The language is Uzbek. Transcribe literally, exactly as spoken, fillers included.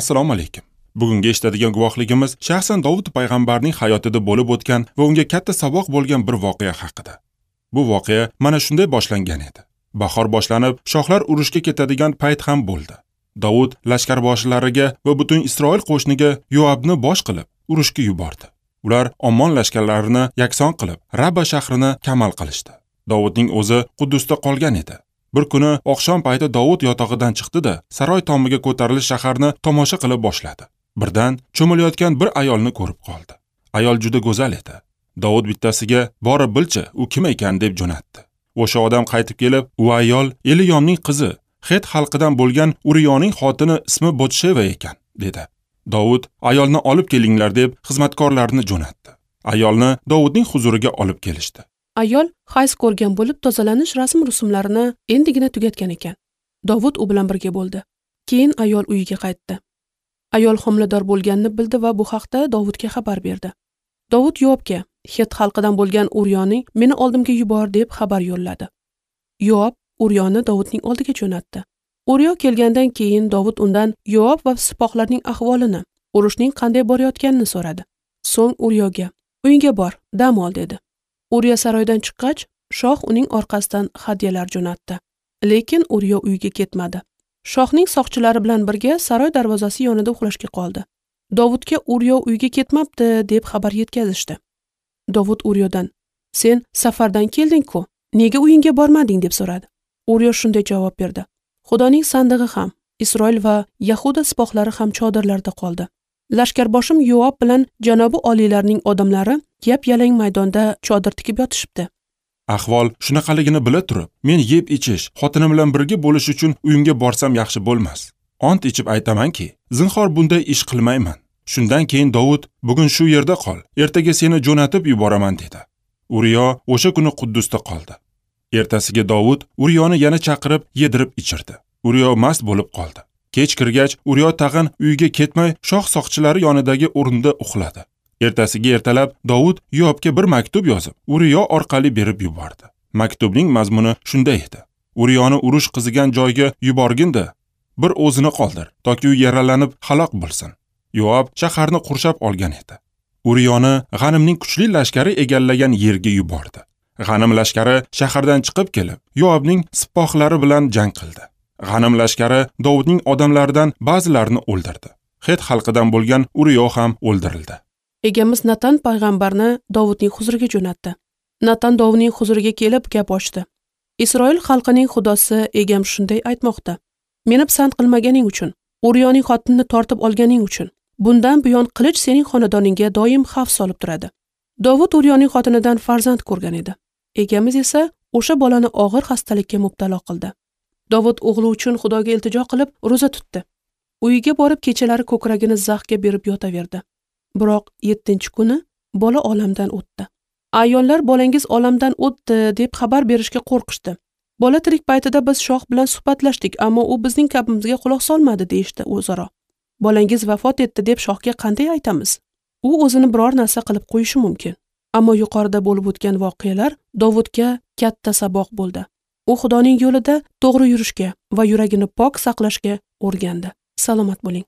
Assalomu alaykum. Bugungi eshitadigan guvohligimiz shaxsan Dovud payg'ambarning hayotida bo'lib o'tgan va unga katta saboq bo'lgan bir voqea haqida. Bu voqea mana shunday boshlangan edi. Bahor boshlanib, shohlar urushga ketadigan payt ham bo'ldi. Dovud lashkarboshilariga va butun Isroil qo'shiniga Yoabni bosh qilib urushga yubordi. Ular Ammon lashkarlarini yakson qilib, Rabba shahrini kamal qilishdi. Dovudning o'zi Quddusda qolgan edi. Bir kuni oqshom payti Dovud yotog'idan chiqdi-da, saroy tomiga ko'tarilish shaharni tomosha qilib boshladi. Birdan cho'milayotgan bir ayolni ko'rib qoldi. Ayol juda go'zal edi. Dovud bittasiga borib bilchi, u kim ekan deb jo'natdi. O'sha odam qaytib kelib, u ayol Eliyomning qizi, Het xalqidan bo'lgan Uriyoning xotini ismi Botsheva ekan, dedi. Dovud ayolni olib kelinglar deb xizmatkorlarini jo'natdi. Ayolni Dovudning huzuriga olib kelishdi. Ayol hayz ko'rgan bo'lib, tozalanish rasm-rusumlarini endigina tugatgan ekan. Dovud u bilan birga bo'ldi. Keyin ayol uyiga qaytdi. Ayol homilador bo'lganini bildi va bu haqda Dovudga xabar berdi. Dovud Yoabga, Het xalqidan bo'lgan Uriyoning meni oldimga yubor deb xabar yo'lladi. Yoab Uriyoni Dovudning oldiga jo'natdi. Uriyo kelgandan keyin Dovud undan Yoab va sipohlarning ahvolini, urushning qanday borayotganini so'radi. So'ng Uriyoga, "Uyingga bor, dam ol" dedi. Uriyo saroydan chiqqach, shoh uning orqasidan hadyalar jo'natdi. Lekin Uriyo uyiga ketmadi. Shohning soqchilari bilan birga saroy darvozasi yonida uxlashga qoldi. Dovudga Uriyo uyga ketmabdi deb xabar yetkazishdi. Dovud Uriyodan, "Sen safardan kelding-ku, nega uyingga bormading?" deb so'radi. Uriyo shunday javob berdi: "Xudoning sandig'i ham, Isroil va Yahuda sipohlari ham chodirlarda qoldi. Lashkarboshim Yoab bilan janobi oliylarning odamlari yap-yalang maydonda chodir tikib yotishibdi." Ahvol shunaqaligini bila turib, men yeb ichish, xotinim bilan birga bo'lish uchun uyimga borsam yaxshi bo'lmas. Ont ichib aytamanki, zinhor bunday ish qilmayman. Shundan keyin Dovud, "Bugun shu yerda qol, ertaga seni jo'natib yuboraman" dedi. Uriyo o'sha kuni Quddusda qoldi. Ertasiga Dovud Uriyoni yana chaqirib, yedirib ichirdi. Uriyo mast bo'lib qoldi. Kech kirgach, Uriyo tag'in uyiga ketmay, shoh soqchilari yonidagi o'rinda uxladi. Ertasiga ertalab Dovud Yoabga bir maktub yozib, Uriyo orqali berib yubordi. Maktubning mazmuni shunday edi: Uriyoni urush qizigan joyga yuborgin-da, bir o'zini qoldir, toki u yaralanib halok bo'lsin. Yoab shaharni qurshab olgan edi. Uriyoni G'animning kuchli lashkari egallagan yerga yubordi. G'anim lashkari shahardan chiqib kelib, Yoabning sipohlari bilan jang qildi. G'anim lashkari Dovudning odamlaridan ba'zilarini o'ldirdi. Het xalqidan bo'lgan Uriyo ham o'ldirildi. Egamiz Natan payg'ambarni Dovudning huzuriga jo'natdi. Natan Dovudning huzuriga kelib gap ochdi. Isroil xalqining xudosi egam shunday aytmoqda: Meni pisand qilmaganing uchun, Uriyoning xotinini tortib olganing uchun, bundan buyon qilich sening xonadoningga doim xavf solib turadi. Dovud Uriyoning xotinidan farzand ko'rgan edi. Egamiz esa o'sha bolani og'ir xastalikka mubtalo qildi. Dovud o'g'li uchun Xudoga iltijo qilib ro'za tutdi. Uyiga borib kechalari ko'kragini zaxga berib yotaverdi. Biroq yettinchi kuni bola olamdan o'tdi. Ayollar bolangiz olamdan o'tdi deb xabar berishga qo'rqishdi. Bola tirik paytida biz shoh bilan suhbatlashdik, ammo u bizning gapimizga quloq solmadi deyishdi o'zaro. Bolangiz vafot etdi deb shohga qanday aytamiz? U o'zini biror narsa qilib qo'yishi mumkin. Ammo yuqorida bo'lib o'tgan voqealar Dovudga katta saboq bo'ldi. U Xudoning yo'lida to'g'ri yurishga va yuragini pok saqlashga o'rgandi. Salomat bo'ling.